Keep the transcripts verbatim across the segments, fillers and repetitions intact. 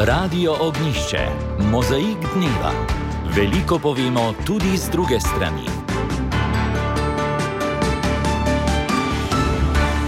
Radio Ognjišče, mozaik dneva. Veliko povemo tudi z druge strani.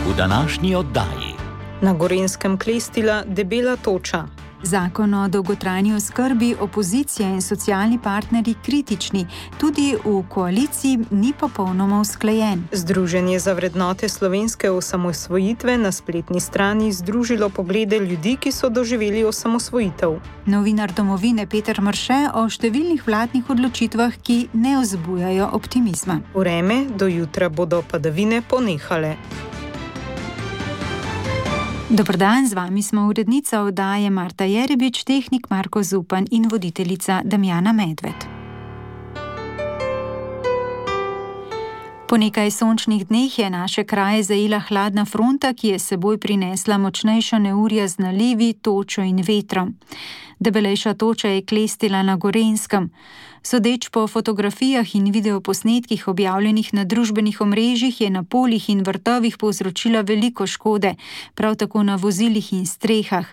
V današnji oddaji. Na Gorenjskem klestila debela toča. Zakon o dolgotrajni oskrbi, opozicija in socialni partnerji kritični, tudi v koaliciji ni popolnoma usklajen. Združenje za vrednote slovenske osamosvojitve na spletni strani združilo poglede ljudi, ki so doživeli osamosvojitev. Novinar Domovine Peter Mrše o številnih vladnih odločitvah, ki ne vzbujajo optimizma. Vreme, do jutra bodo padavine ponehale. Dober dan, z vami smo urednica oddaje Marta Jerebič, tehnik Marko Zupan in voditeljica Damjana Medved. Po nekaj sončnih dneh je naše kraje zajela hladna fronta, ki je seboj prinesla močnejša neurja z nalivi, točo in vetrom. Debelejša toča je klestila na Gorenjskem. Sodeč po fotografijah in videoposnetkih objavljenih na družbenih omrežjih je na poljih in vrtovih povzročila veliko škode, prav tako na vozilih in strehah.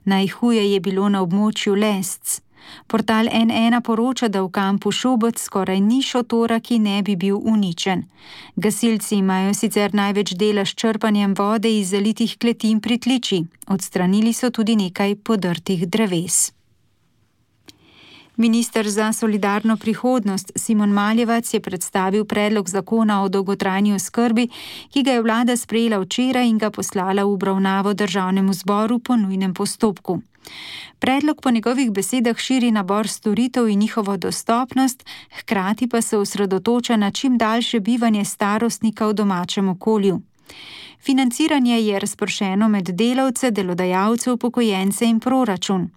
Najhuje je bilo na območju Lesc. Portal N ena poroča, da v kampu Šobec skoraj ni šotora, ki ne bi bil uničen. Gasilci imajo sicer največ dela s črpanjem vode iz zalitih kleti in pritličij. Odstranili so tudi nekaj podrtih dreves. Minister za solidarno prihodnost Simon Maljevac je predstavil predlog zakona o dolgotrajni oskrbi, ki ga je vlada sprejela včeraj in ga poslala v obravnavo državnemu zboru po nujnem postopku. Predlog po njegovih besedah širi nabor storitev in njihovo dostopnost, hkrati pa se osredotoča na čim daljše bivanje starostnika v domačem okolju. Financiranje je razpršeno med delavce, delodajalce, upokojence in proračun.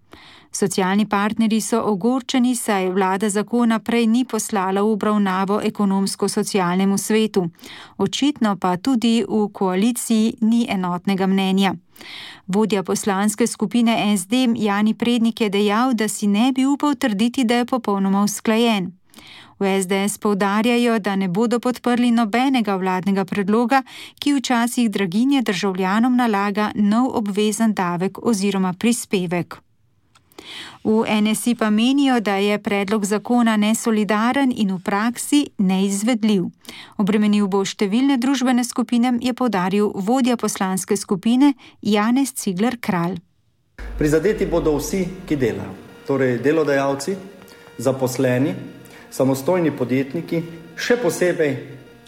Socialni partnerji so ogorčeni, saj vlada zakona prej ni poslala v obravnavo ekonomsko-socialnemu svetu. Očitno pa tudi v koaliciji ni enotnega mnenja. Vodja poslanske skupine S D Jani Prednik je dejal, da si ne bi upal trditi, da je popolnoma usklajen. V S D S poudarjajo, da ne bodo podprli nobenega vladnega predloga, ki včasih draginje državljanom nalaga nov obvezen davek oziroma prispevek. V N S I pa menijo, da je predlog zakona nesolidaren in v praksi neizvedljiv. Obremenil bo številne družbene skupine, je poudaril vodja poslanske skupine Janez Cigler Kralj. Prizadeti bodo vsi, ki delajo, torej delodajalci, zaposleni, samostojni podjetniki, še posebej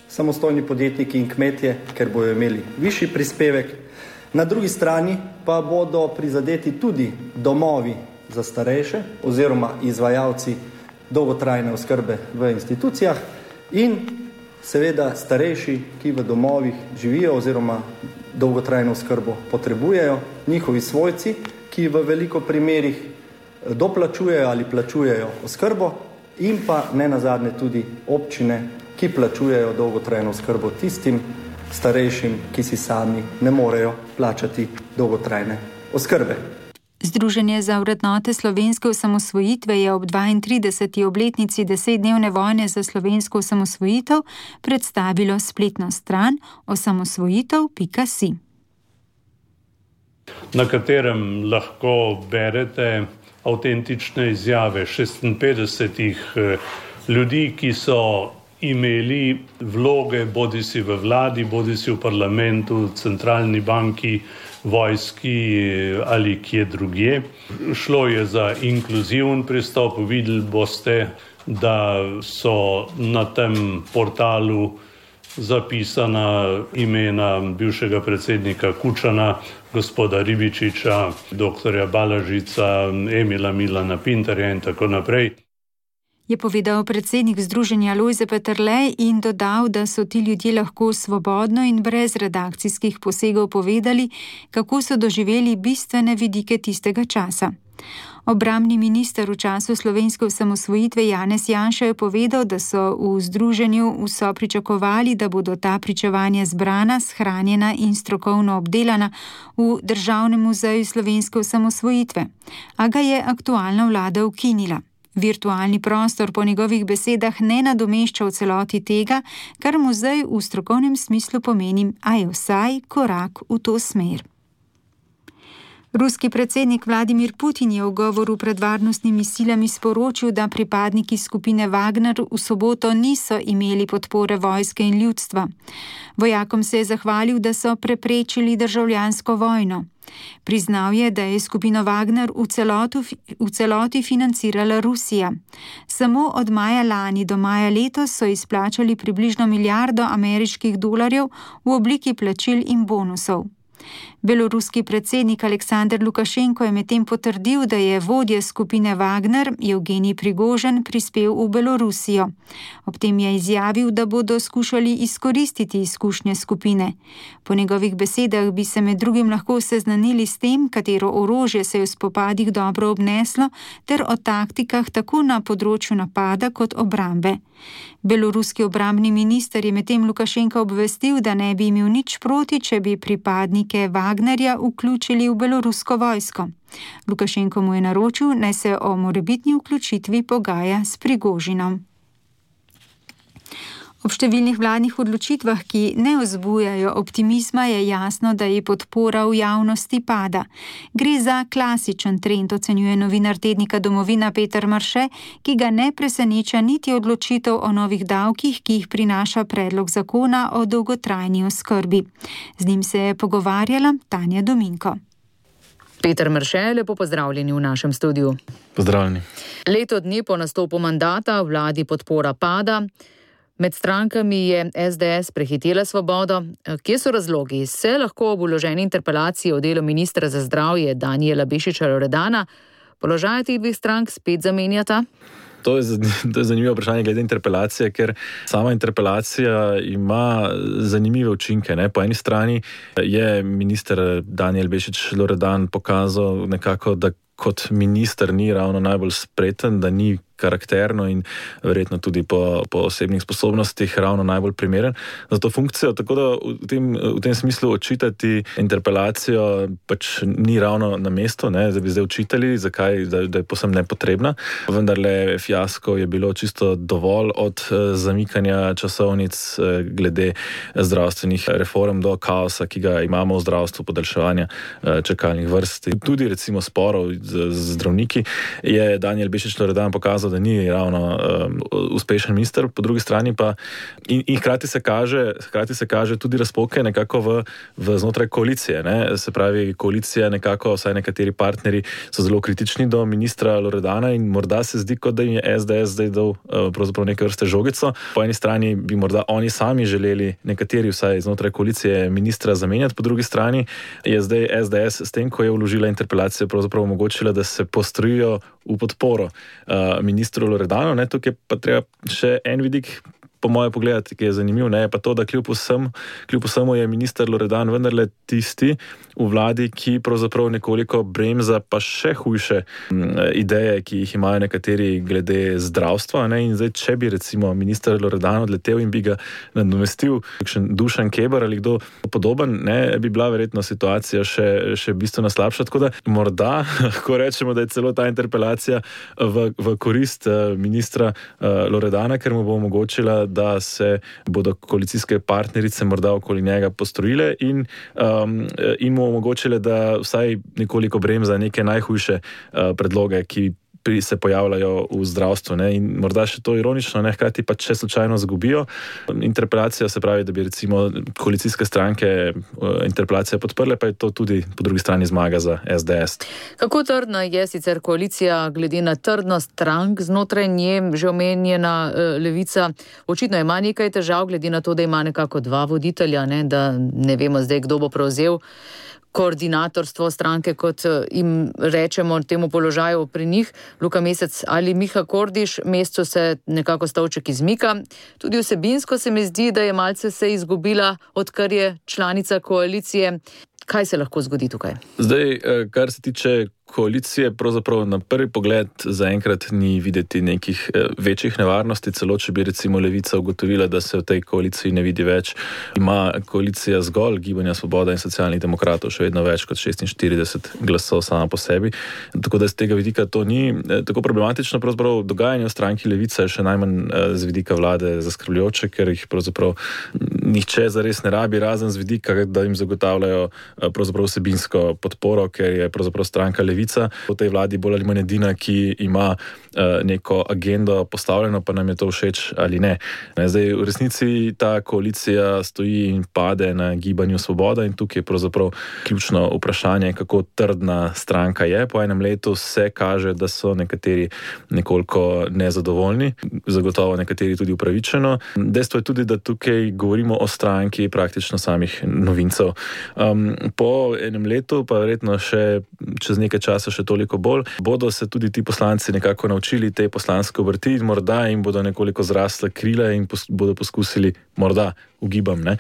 samostojni podjetniki in kmetje, ker bodo imeli višji prispevek. Na drugi strani pa bodo prizadeti tudi domovi za starejše oziroma izvajalci dolgotrajne oskrbe v institucijah in seveda starejši, ki v domovih živijo oziroma dolgotrajno oskrbo potrebujejo, njihovi svojci, ki v veliko primerih doplačujejo ali plačujejo oskrbo in pa ne nazadnje tudi občine, ki plačujejo dolgotrajno oskrbo tistim starejšim, ki si sami ne morejo plačati dolgotrajne oskrbe. Združenje za vrednote slovenske osamosvojitve je ob dvaintrideseti obletnici desetdnevne vojne za slovensko osamosvojitev predstavilo spletno stran osamosvojitev pika si. Na katerem lahko berete avtentične izjave šestinpetdesetih ljudi, ki so imeli vloge bodisi v vladi, bodisi v parlamentu, centralni banki, vojski ali kje drugje. Šlo je za inkluziven pristop. Videli boste, da so na tem portalu zapisana imena bivšega predsednika Kučana, gospoda Ribičiča, doktorja Balažica, Emila Milana Pintarja in tako naprej. Je povedal predsednik združenja Lojze Peterle in dodal, da so ti ljudje lahko svobodno in brez redakcijskih posegov povedali, kako so doživeli bistvene vidike tistega časa. Obrambni minister v času slovenske osamosvojitve Janez Janša je povedal, da so v združenju vso pričakovali, da bodo ta pričevanja zbrana, shranjena in strokovno obdelana v Državnem muzeju slovenske osamosvojitve, a ga je aktualna vlada ukinila. Virtualni prostor po njegovih besedah ne nadomešča v celoti tega, kar muzej v strokovnem smislu pomeni, a je vsaj korak v to smer. Ruski predsednik Vladimir Putin je v govoru pred varnostnimi silami sporočil, da pripadniki skupine Wagner v soboto niso imeli podpore vojske in ljudstva. Vojakom se je zahvalil, da so preprečili državljansko vojno. Priznal je, da je skupino Wagner v, celotu, v celoti financirala Rusija. Samo od maja lani do maja letos so izplačali približno milijardo ameriških dolarjev v obliki plačil in bonusov. Beloruski predsednik Aleksandar Lukašenko je medtem potrdil, da je vodja skupine Wagner, Evgenij Prigožin, prispel v Belorusijo. Ob tem je izjavil, da bodo skušali izkoristiti izkušnje skupine. Po njegovih besedah bi se med drugim lahko seznanili s tem, katero orožje se je v spopadih dobro obneslo, ter o taktikah tako na področju napada kot obrambe. Beloruski obrambni minister je medtem Lukašenka obvestil, da ne bi imel nič proti, če bi pripadnike Wagnerja vključili v belorusko vojsko. Lukašenko mu je naročil, naj se o morebitni vključitvi pogaja s Prigožinom. Ob številnih vladnih odločitvah, ki ne vzbujajo optimizma, je jasno, da je podpora v javnosti pada. Gre za klasičen trend, ocenjuje novinar tednika Domovina Peter Marše, ki ga ne preseneča niti odločitev o novih davkih, ki jih prinaša predlog zakona o dolgotrajni oskrbi. Z njim se je pogovarjala Tanja Dominko. Peter Marše, lepo pozdravljeni v našem studiu. Pozdravljeni. Leto dni po nastopu mandata vladi podpora pada. Med strankami je es de es prehitela Svobodo. Kje so razlogi? Se lahko ob vloženi interpelaciji o delu ministra za zdravje Danijela Bešiča Loredana položaj teh dveh strank spet zamenjata? To je, to je zanimivo vprašanje glede interpelacije, ker sama interpelacija ima zanimive učinke. Ne? Po eni strani je minister Danijel Bešič Loredan pokazal nekako, da kot minister ni ravno najbolj spreten, da ni karakterno in verjetno tudi po, po osebnih sposobnostih ravno najbolj primeren za to funkcijo, tako da v tem, v tem smislu očitati interpelacijo pač ni ravno na mestu, ne, da bi zdaj očitali, zakaj, da, da je posem nepotrebna. Vendarle fiasko je bilo čisto dovolj od zamikanja časovnic glede zdravstvenih reform do kaosa, ki ga imamo v zdravstvu, podaljševanja čakalnih vrst. Tudi recimo sporov z, z zdravniki je Danijel Bešič Loredan pokazal, da ni ravno um, uspešen minister, po drugi strani pa in, in hkrati se kaže, hkrati se kaže tudi razpoke nekako v, v znotraj koalicije. Ne? Se pravi, koalicija nekako, vsaj nekateri partnerji so zelo kritični do ministra Loredana in morda se zdi, kot da jim je es de es zdaj dal uh, pravzaprav neke vrste žogico. Po eni strani bi morda oni sami želeli, nekateri vsaj znotraj koalicije, ministra zamenjati, po drugi strani je zdaj es de es s tem, ko je vložila interpelacijo, pravzaprav omogočila, da se postrojijo v podporo uh, ministru Loredanu. Ne, tukaj pa treba še en vidik po moje pogledati, ki je zanimiv, ne, je pa to, da kljub vsem, kljub vsemu je minister Loredan vendarle tisti v vladi, ki pravzaprav nekoliko bremza pa še hujše m, ideje, ki jih imajo nekateri glede zdravstva. Ne, in zdaj, če bi recimo minister Loredan odletel in bi ga nadomestil kakšen Dušan Keber ali kdo podoben, ne, bi bila verjetno situacija še, še bistveno slabša. Tako da morda lahko rečemo, da je celo ta interpelacija v, v korist ministra Loredana, ker mu bo omogočila, da se bodo koalicijske partnerice morda okoli njega postrojile in, um, in mu omogočile, da vsaj nekoliko bremza neke najhujše uh, predloge, ki se pojavljajo v zdravstvu. Ne? In morda še to ironično, ne? Hkrati pa če slučajno zgubijo interpelacijo, se pravi, da bi recimo koalicijske stranke interpelacijo podprle, pa je to tudi po drugi strani zmaga za es de es. Kako trdna je sicer koalicija glede na trdnost strank znotraj nje, že omenjena Levica? Očitno ima nekaj težav glede na to, da ima nekako dva voditelja, ne? Da ne vemo zdaj, kdo bo prevzel koordinatorstvo stranke, kot jim rečemo temu položaju pri njih, Luka Mesec ali Miha Kordiš. Mesecu se nekako stolček izmika. Tudi vsebinsko se mi zdi, da je malce se izgubila, odkar je članica koalicije. Kaj se lahko zgodi tukaj? Zdaj, kar se tiče koalicije pravzaprav na prvi pogled zaenkrat ni videti nekih večjih nevarnosti, celo če bi recimo Levica ugotovila, da se v tej koaliciji ne vidi več. Ima koalicija zgolj Gibanja Svoboda in Socialnih demokratov še vedno več kot šestinštirideset glasov sama po sebi. Tako da z tega vidika to ni tako problematično. Pravzaprav dogajanje v stranki Levica je še najmanj z vidika vlade zaskrbljujoče, ker jih pravzaprav nihče zares ne rabi, razen z vidika, da jim zagotavljajo pravzaprav vsebinsko podporo, ker je pravzaprav stranka Levica v tej vladi bolj ali manj edina, ki ima neko agendo postavljeno, pa nam je to všeč ali ne. Zdaj, v resnici ta koalicija stoji in pade na Gibanju Svoboda in tukaj je pravzaprav ključno vprašanje, kako trdna stranka je. Po enem letu se kaže, da so nekateri nekoliko nezadovoljni, zagotovo nekateri tudi upravičeno. Dejstvo je tudi, da tukaj govorimo o stranki praktično samih novincev. Um, po enem letu, pa verjetno še čez nekaj časa še toliko bolj, bodo se tudi ti poslanci nekako naučili te poslanske obrti in morda jim bodo nekoliko zrasle krila in pos- bodo poskusili morda ugibam, ne,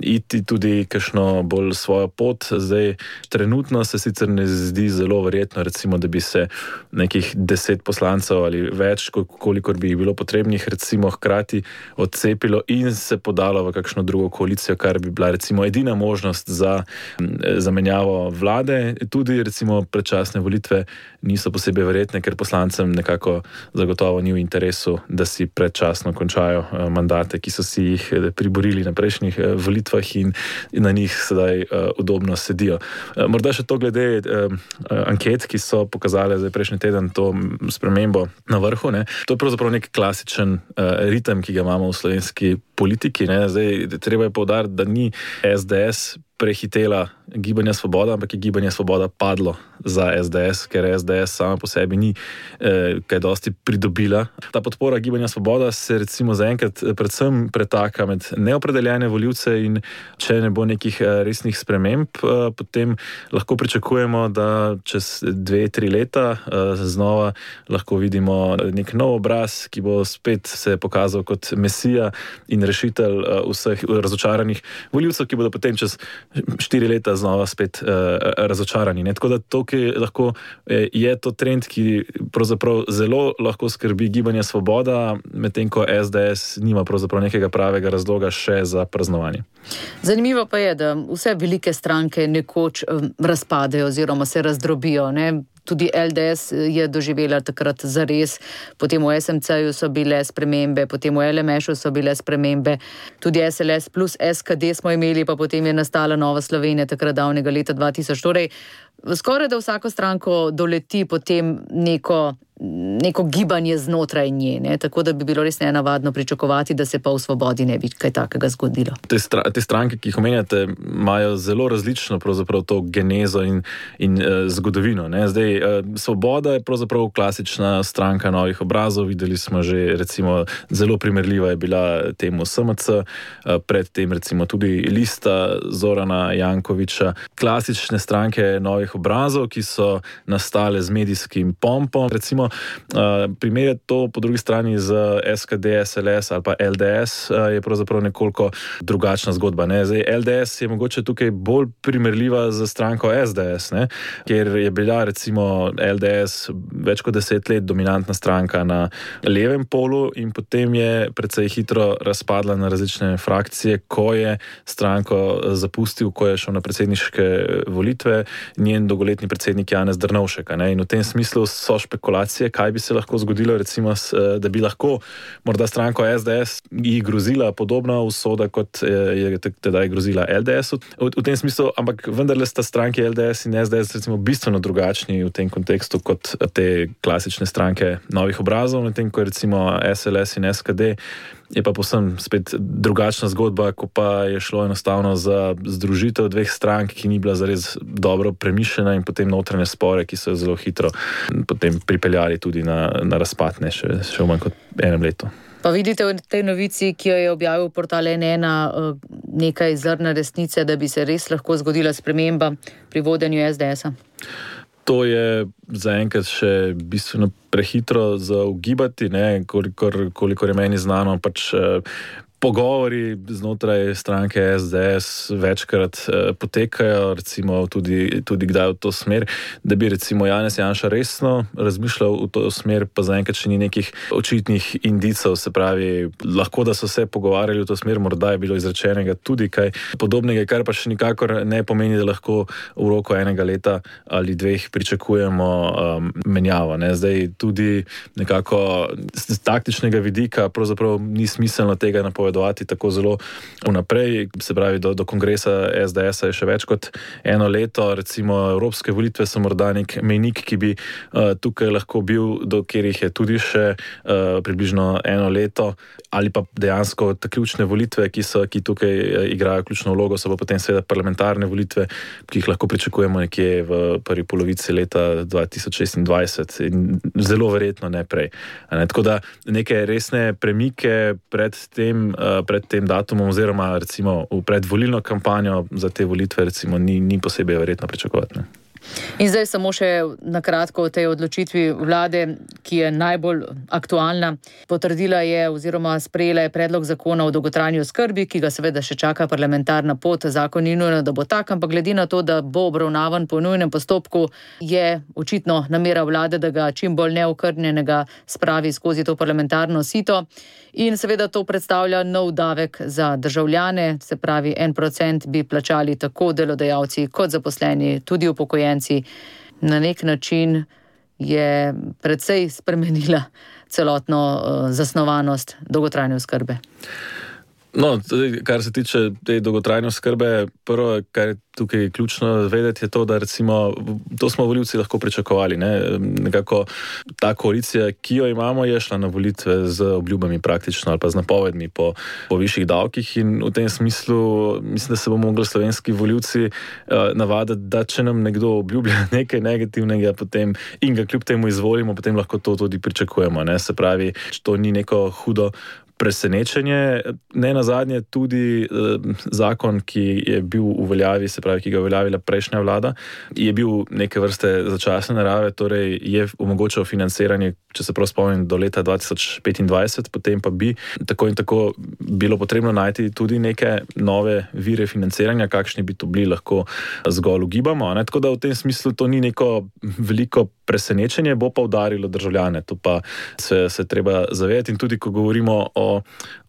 iti tudi kakšno bolj svojo pot. Zdaj, trenutno se sicer ne zdi zelo verjetno, recimo, da bi se nekih deset poslancev ali več, kolikor bi bilo potrebnih, recimo hkrati odcepilo in se podalo v kakšno drugo koalicijo, kar bi bila recimo edina možnost za zamenjavo vlade. Tudi recimo predčasne volitve niso posebej verjetne, ker poslancem nekako zagotovo ni v interesu, da si predčasno končajo mandate, ki so si jih priborili na prejšnjih volitvah in na njih sedaj udobno sedijo. Morda še to glede anket, ki so pokazale zdaj prejšnji teden to spremembo na vrhu, ne. To je pravzaprav nek klasičen ritem, ki ga imamo v slovenski politiki, ne. Zdaj, treba je poudariti, da ni es de es prehitela Gibanja Svoboda, ampak je Gibanje Svoboda padlo za es de es, ker es de es sama po sebi ni eh, kaj dosti pridobila. Ta podpora Gibanja Svoboda se recimo zaenkrat predvsem pretaka med neopredeljene volivce in če ne bo nekih resnih sprememb, eh, potem lahko pričakujemo, da čez dve, tri leta eh, znova lahko vidimo nek nov obraz, ki bo spet se pokazal kot mesija in rešitelj eh, vseh razočaranih volivcev, ki bodo potem čez štiri leta znova spet uh, razočarani. Ne? Tako da tukaj lahko eh, je to trend, ki pravzaprav zelo lahko skrbi Gibanje Svoboda, medtem ko es de es nima pravzaprav nekega pravega razloga še za praznovanje. Zanimivo pa je, da vse velike stranke nekoč um, razpadejo oziroma se razdrobijo, ne? Tudi el de es je doživela takrat zares, potem v es em ce-ju so bile spremembe, potem v el em es-u so bile spremembe, tudi es el es plus es ka de smo imeli, pa potem je nastala Nova Slovenija takrat davnega leta dva tisoč. Torej, skoraj da vsako stranko doleti potem neko, neko gibanje znotraj nje, ne? Tako da bi bilo res nenavadno pričakovati, da se pa v Svobodi ne bi kaj takega zgodilo. Te, stra, te stranke, ki jih omenjate, imajo zelo različno pravzaprav to genezo in, in uh, zgodovino. Ne? Zdaj, uh, Svoboda je pravzaprav klasična stranka novih obrazov, videli smo že recimo zelo primerljiva je bila temu es em ce, uh, predtem recimo tudi Lista Zorana Jankovića, klasične stranke novih obrazov, ki so nastale z medijskim pompom. Recimo Uh, primerjati to po drugi strani z es ka de, es el es ali pa el de es uh, je pravzaprav nekoliko drugačna zgodba. Ne? Zdaj, el de es je mogoče tukaj bolj primerljiva z stranko es de es, ne? Ker je bila recimo el de es več kot deset let dominantna stranka na levem polu in potem je precej hitro razpadla na različne frakcije, ko je stranko zapustil, ko je šel na predsedniške volitve njen dolgoletni predsednik Janez Drnovšek. Ne? In v tem smislu so špekulacije, kaj bi se lahko zgodilo, recimo, da bi lahko morda stranko es de es jih grozila podobna usoda, kot je tedaj grozila el de es-u. V, v tem smislu, ampak vendarle sta stranke el de es in es de es recimo bistveno drugačni v tem kontekstu kot te klasične stranke novih obrazov, medtem ko recimo es el es in es ka de je pa povsem spet drugačna zgodba, ko pa je šlo enostavno za združitev dveh strank, ki ni bila zares dobro premišljena in potem notranje spore, ki so zelo hitro potem pripeljali tudi na, na razpad, ne, še, še v manj kot enem letu. Pa vidite v tej novici, ki jo je objavil portal en ena, nekaj zrna resnice, da bi se res lahko zgodila sprememba pri vodenju es de es-a? To je zaenkrat še bistveno prehitro za ugibati, ne, kolikor, kolikor je meni znano, pač Pogovori znotraj stranke S D S večkrat eh, potekajo, recimo tudi, tudi kdaj v to smer, da bi recimo Janez Janša resno razmišljal v to smer, pa zaenkrat še ni nekih očitnih indicov, se pravi, lahko da so se pogovarjali v to smer, morda je bilo izrečenega tudi kaj podobnega, kar pa še nikakor ne pomeni, da lahko v roku enega leta ali dveh pričakujemo um, menjavo. Ne? Zdaj tudi nekako z taktičnega vidika pravzaprav ni smiselno tega napovedati tako zelo vnaprej, se pravi do, do kongresa S D S-a je še več kot eno leto, recimo evropske volitve so morda nek mejnik, ki bi uh, tukaj lahko bil, do katerih je tudi še uh, približno eno leto, ali pa dejansko te ključne volitve, ki so, ki tukaj uh, igrajo ključno vlogo, so pa potem seveda parlamentarne volitve, ki jih lahko pričakujemo nekje v prvi polovici leta dva tisoč šestindvajset in zelo verjetno ne prej. Ne? Tako da neke resne premike pred tem pred tem datumom oziroma recimo v predvolilno kampanjo za te volitve recimo ni, ni posebej verjetno pričakovati. Ne? In zdaj samo še na kratko o tej odločitvi vlade, ki je najbolj aktualna. Potrdila je oziroma sprejela je predlog zakona o dolgotrajni oskrbi, ki ga seveda še čaka parlamentarna pot. Zakon ni nujno, da bo tak, ampak glede na to, da bo obravnavan po nujnem postopku, je očitno namera vlade, da ga čim bolj neokrnjenega spravi skozi to parlamentarno sito. In seveda to predstavlja nov davek za državljane, se pravi en procent bi plačali tako delodajalci kot zaposleni, tudi upokojenci. Na nek način je precej spremenila celotno uh, zasnovanost dolgotrajne oskrbe. No, kar se tiče te dolgotrajne oskrbe, prvo, kar je tukaj ključno vedeti, je to, da recimo, to smo volivci lahko pričakovali, ne? Nekako ta koalicija, ki jo imamo, je šla na volitve z obljubami praktično ali pa z napovedmi po, po višjih davkih in v tem smislu mislim, da se bomo mogli slovenski volivci uh, navaditi, da če nam nekdo obljublja nekaj negativnega potem in ga kljub temu izvolimo, potem lahko to tudi pričakujemo, ne? Se pravi, to ni neko hudo presenečenje. Ne nazadnje tudi eh, zakon, ki je bil v veljavi, se pravi, ki ga je uveljavila prejšnja vlada, je bil neke vrste začasne narave, torej je omogočal financiranje, če se prav spomnim, do leta dva tisoč petindvajset, potem pa bi tako in tako bilo potrebno najti tudi neke nove vire financiranja, kakšni bi to bili, lahko zgolj ugibamo. Ne? Tako da v tem smislu to ni neko veliko presenečenje, bo pa udarilo državljane, to pa se, se treba zavedati in tudi, ko govorimo o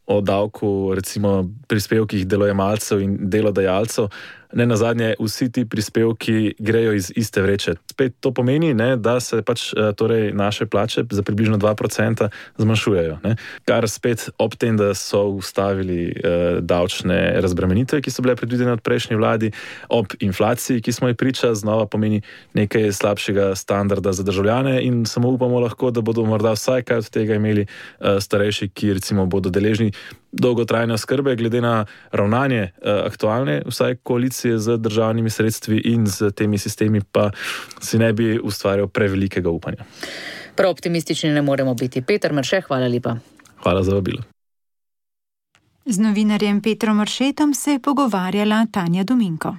o davku, recimo prispevkih delojemalcev in delodajalcev, ne nazadnje vsi ti prispevki grejo iz iste vreče. Spet to pomeni, ne, da se pač torej naše plače za približno dva procenta zmanjšujejo. Ne. Kar spet ob tem, da so ustavili eh, davčne razbremenitve, ki so bile predvidene od prejšnje vladi, ob inflaciji, ki smo ji priča, znova pomeni nekaj slabšega standarda za državljane in samo upamo lahko, da bodo morda vsaj kaj od tega imeli eh, starejši, ki recimo bodo deležni dolgotrajne oskrbe, glede na ravnanje eh, aktualne vsaj koalicije z državnimi sredstvi in z temi sistemi, pa si ne bi ustvarjal prevelikega upanja. Prav optimistični ne moremo biti. Peter Mrše, hvala lepa. Hvala za vabilo. Z novinarjem Petrom Mršetom se je pogovarjala Tanja Dominko.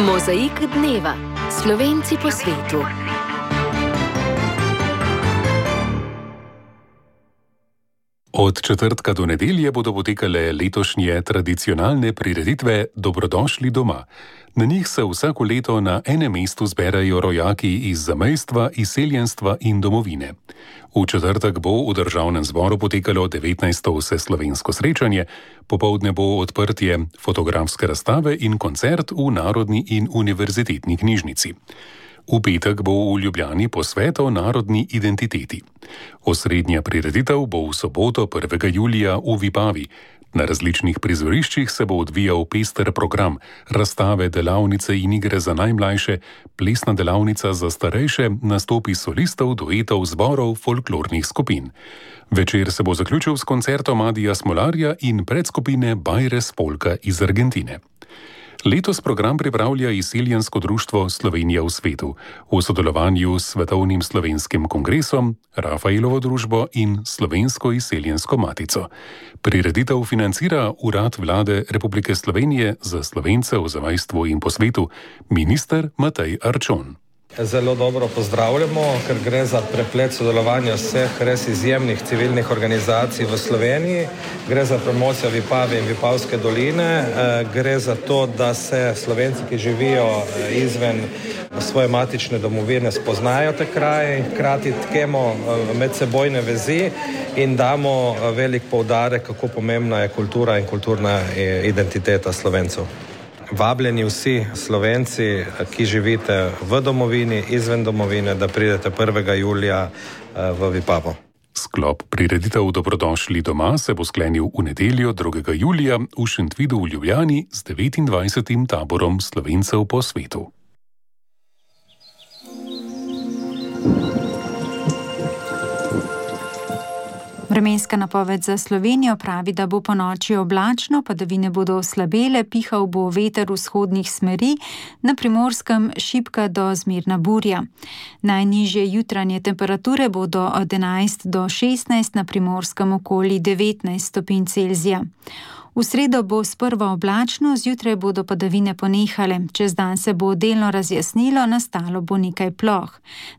Mozaik dneva. Slovenci po svetu. Od četrtka do nedelje bodo potekale letošnje tradicionalne prireditve Dobrodošli doma. Na njih se vsako leto na enem mestu zberajo rojaki iz zamejstva, izseljenstva in domovine. V četrtek bo v Državnem zboru potekalo devetnajsto vseslovensko srečanje, popoldne bo odprtje fotografske razstave in koncert v Narodni in univerzitetni knjižnici. V petek bo v Ljubljani posvet o narodni identiteti. Osrednja prireditev bo v soboto prvega julija v Vipavi. Na različnih prizoriščih se bo odvijal pester program, razstave, delavnice in igre za najmlajše, plesna delavnica za starejše, nastopi solistov, duetov, zborov, folklornih skupin. Večer se bo zaključil s koncertom Adija Smolarja in predskupine Bajres Polka iz Argentine. Letos program pripravlja izseljensko društvo Slovenija v svetu v sodelovanju s Svetovnim slovenskim kongresom, Rafaelovo družbo in Slovensko izseljensko matico. Prireditev financira Urad Vlade Republike Slovenije za Slovence v zamejstvu in po svetu, minister Matej Arčon. Zelo dobro pozdravljamo, ker gre za preplet sodelovanja vseh res izjemnih civilnih organizacij v Sloveniji. Gre za promocijo Vipave in Vipavske doline. Gre za to, da se Slovenci, ki živijo izven svoje matične domovine, spoznajo te kraje, hkrati tkemo medsebojne vezi in damo velik poudarek, kako pomembna je kultura in kulturna identiteta Slovencev. Vabljeni vsi Slovenci, ki živite v domovini, izven domovine, da pridete prvega julija v Vipavo. Sklop prireditev Dobrodošli doma se bo sklenil v nedeljo drugega julija v Šentvidu v Ljubljani z devetindvajsetim taborom Slovencev po svetu. Vremenska napoved za Slovenijo pravi, da bo po noči oblačno, padavine bodo oslabele, pihal bo veter vzhodnih smeri, na Primorskem šibka do zmerna burja. Najnižje jutranje temperature bodo od enajst do šestnajst, na Primorskem okoli devetnajst stopinj Celzija. V sredo bo sprva oblačno, zjutraj bodo padavine ponehale. Čez dan se bo delno razjasnilo, nastalo bo nekaj ploh.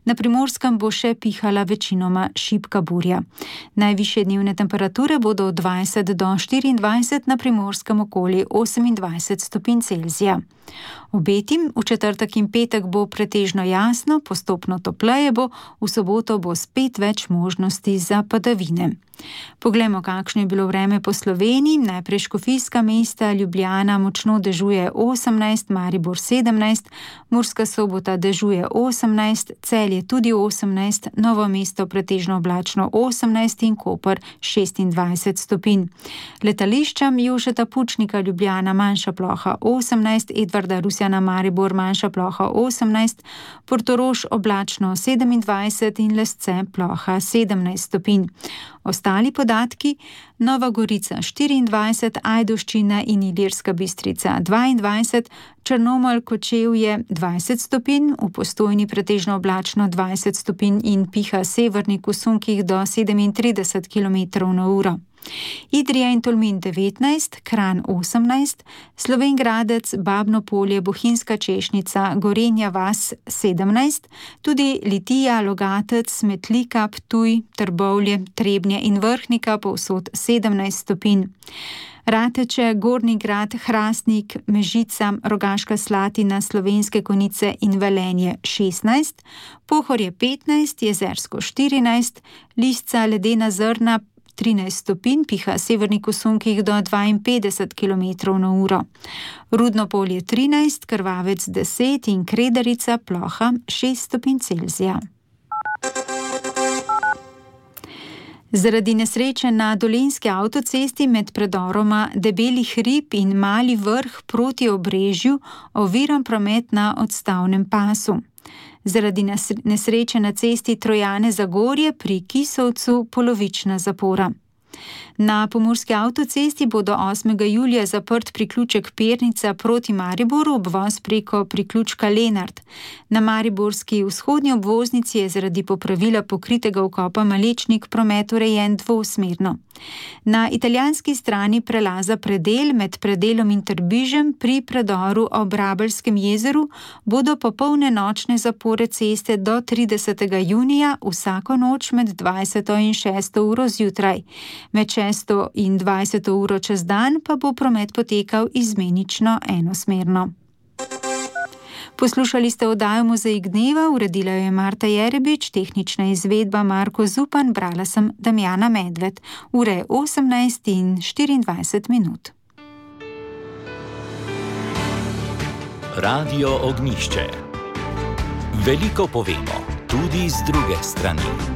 Na Primorskem bo še pihala večinoma šibka burja. Najvišje dnevne temperature bodo od dvajset do štiriindvajset, na Primorskem okoli osemindvajset stopinj Celzija. Obetim v četrtek in petek bo pretežno jasno, postopno topleje bo, v soboto bo spet več možnosti za padavine. Poglejmo, kakšno je bilo vreme po Sloveniji. Najprej Škofijska mesta, Ljubljana močno dežuje osemnajst, Maribor sedemnajst, Murska Sobota dežuje osemnajst, Celje tudi osemnajst, Novo mesto pretežno oblačno osemnajst in Koper šestindvajset stopinj. Letališčem Jožeta Pučnika Ljubljana manjša ploha osemnajst, Edvarda Rusjana Maribor manjša ploha osemnajst, Portorož oblačno sedemindvajset in Lesce ploha sedemnajst stopinj. Ostali podatki: Nova Gorica štiriindvajset, Ajdovščina in Ilirska Bistrica dvaindvajset, Črnomelj, Kočevje dvajset stopinj, v Postojni pretežno oblačno dvajset stopinj in piha severnik v sunkih do sedemintrideset kilometrov na uro. Idrija in Tolmin devetnajst, Kranj osemnajst, Slovenj Gradec, Babno Polje, Bohinjska Češnica, Gorenja vas sedemnajst, tudi Litija, Logatec, Smetlika, Ptuj, Trbovlje, Trebnje in Vrhnika povsod sedemnajst stopinj. Rateče, Gornji Grad, Hrastnik, Mežica, Rogaška Slatina, Slovenske Konjice in Velenje šestnajst, Pohorje petnajst, Jezersko štirinajst, Lisca, Ledena Zrna trinajst stopinj, piha severnik v sunkih do dvainpetdeset kilometrov na uro. Rudno Polje trinajst, Krvavec deset in Kredarica ploha šest stopinj Celzija. Zaradi nesreče na Dolenjski avtocesti med predoroma Debeli hrib in Mali vrh proti Obrežju oviran promet na odstavnem pasu. Zaradi nesreče na cesti Trojane Zagorje pri Kisovcu polovična zapora. Na pomurski avtocesti bodo osmega julija zaprt priključek Pernica proti Mariboru, obvoz preko priključka Lenart. Na mariborski vzhodnji obvoznici je zaradi popravila pokritega vkopa Malečnik promet urejen dvosmerno. Na italijanski strani prelaza Predel med Predelom in Trbižem pri predoru ob Rabelskem jezeru bodo popolne nočne zapore ceste do tridesetega junija, vsako noč med dvajseto in šesto uro zjutraj. Med šesto in dvajseto uro čez dan pa bo promet potekal izmenično enosmerno. Poslušali ste oddajo Mozaik dneva, uredila jo je Marta Jerebič, tehnična izvedba Marko Zupan, brala sem Damjana Medved. Ura je osemnajst in štiriindvajset minut. Radio Ognjišče. Veliko povemo, tudi z druge strani.